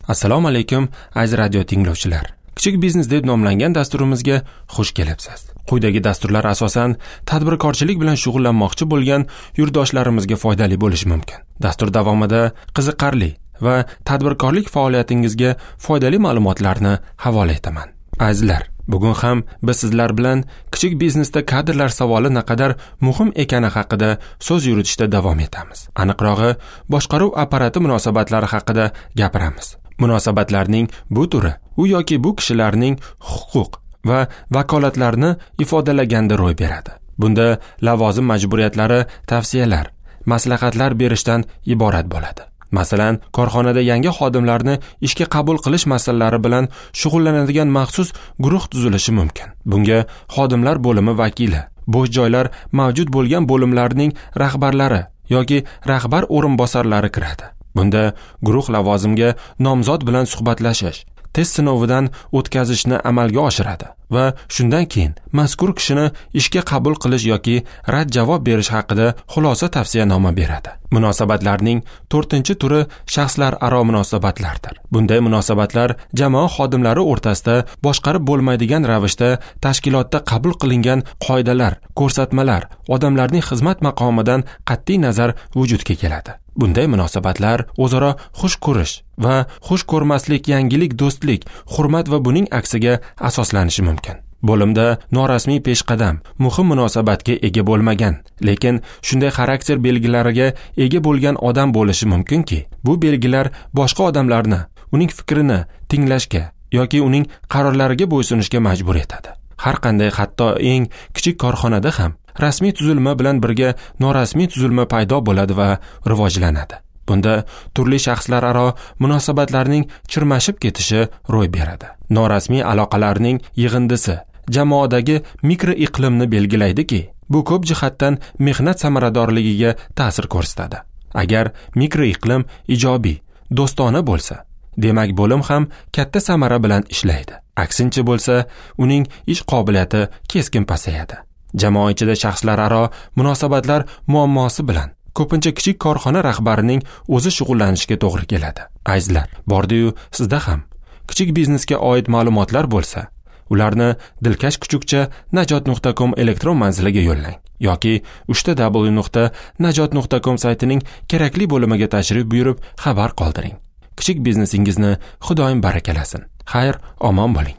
Assalomu alaykum, aziz radio tinglovchilar. Kichik biznes deb nomlangan dasturimizga xush kelibsiz. Quyidagi dasturlar asosan tadbirkorchilik bilan shug'ullanmoqchi bo'lgan yurtdoshlarimizga foydali bo'lishi mumkin. Dastur davomida qiziqarli va tadbirkorlik faoliyatingizga foydali ma'lumotlarni havola etaman. Azizlar, bugun ham biz sizlar bilan kichik biznesda kadrlar savoli naqadar muhim ekani haqida so'z yuritishda davom etamiz. Aniqrog'i, boshqaruv apparati munosabatlari haqida gapiramiz. Munosabatlarning bu turi u yoki bu kishilarning huquq va vakolatlarini ifodalaganda ro'y beradi. Bunda lavozim majburiyatlari tavsiyalar, maslahatlar berishdan iborat bo'ladi. Masalan, korxonada yangi xodimlarni ishga qabul qilish masalalari bilan shug'ullanadigan maxsus guruh tuzilishi mumkin. Bunga xodimlar bo'limi vakili, bo'sh joylar mavjud bo'lgan bo'limlarning rahbarlari yoki rahbar o'rinbosarlari kiradi. Bunda guruh lavozimga nomzod bilan suhbatlashish, test sinovidan o'tkazishni amalga oshiradi va shundan keyin mazkur kishini ishga qabul qilish yoki rad javob berish haqida xulosa tavsiyanoma beradi. Munosabatlarning 4-turi shaxslararo munosabatlardir. Bunday munosabatlar jamoa xodimlari o'rtasida boshqarib bo'lmaydigan ravishda tashkilotda qabul qilingan qoidalar, ko'rsatmalar, odamlarning xizmat maqomidan qat'iy nazar vujudga keladi. Bunday munosabatlar o'zaro xush ko'rish va xush ko'rmaslik, yangilik, do'stlik, hurmat va buning aksiga asoslanishi mumkin. Bo'limda norasmiy peshqadam, muhim munosabatga ega bo'lmagan, lekin shunday xarakter belgilariga ega bo'lgan odam bo'lishi mumkinki, bu belgilar boshqa odamlarni uning fikrini tinglashga yoki uning qarorlariga bo'ysunishga majbur etadi. Har qanday, hatto eng kichik korxonada ham rasmiy tuzilma bilan birga norasmiy tuzilma paydo bo'ladi va rivojlanadi. Bunda turli shaxslararo munosabatlarning chirmashib ketishi ro'y beradi. Norasmiy aloqalarning yig'indisi jamoadagi mikroiqlimni belgilaydiki, bu ko'p jihatdan mehnat samaradorligiga ta'sir ko'rsatadi. Agar mikroiqlim ijobiy, do'stona bo'lsa, demak bo'lim ham katta samara bilan ishlaydi. Aksincha bo'lsa, uning ish qobiliyati keskin pasayadi. Jamoa ichida shaxslararo munosabatlar muammosi bilan ko'pincha kichik korxona rahbarining o'zi shug'ullanishiga to'g'ri keladi. Azizlar, bordi-yu sizda ham kichik biznesga oid ma'lumotlar bo'lsa, ularni dilkash kuchukcha najot.com elektron manziliga yo'llang yoki www.najot.com saytining kerakli bo'limiga tashrif buyurib xabar qoldiring. Kichik biznesingizni Xudoyim barakalasin. Xayr, omon bo'ling.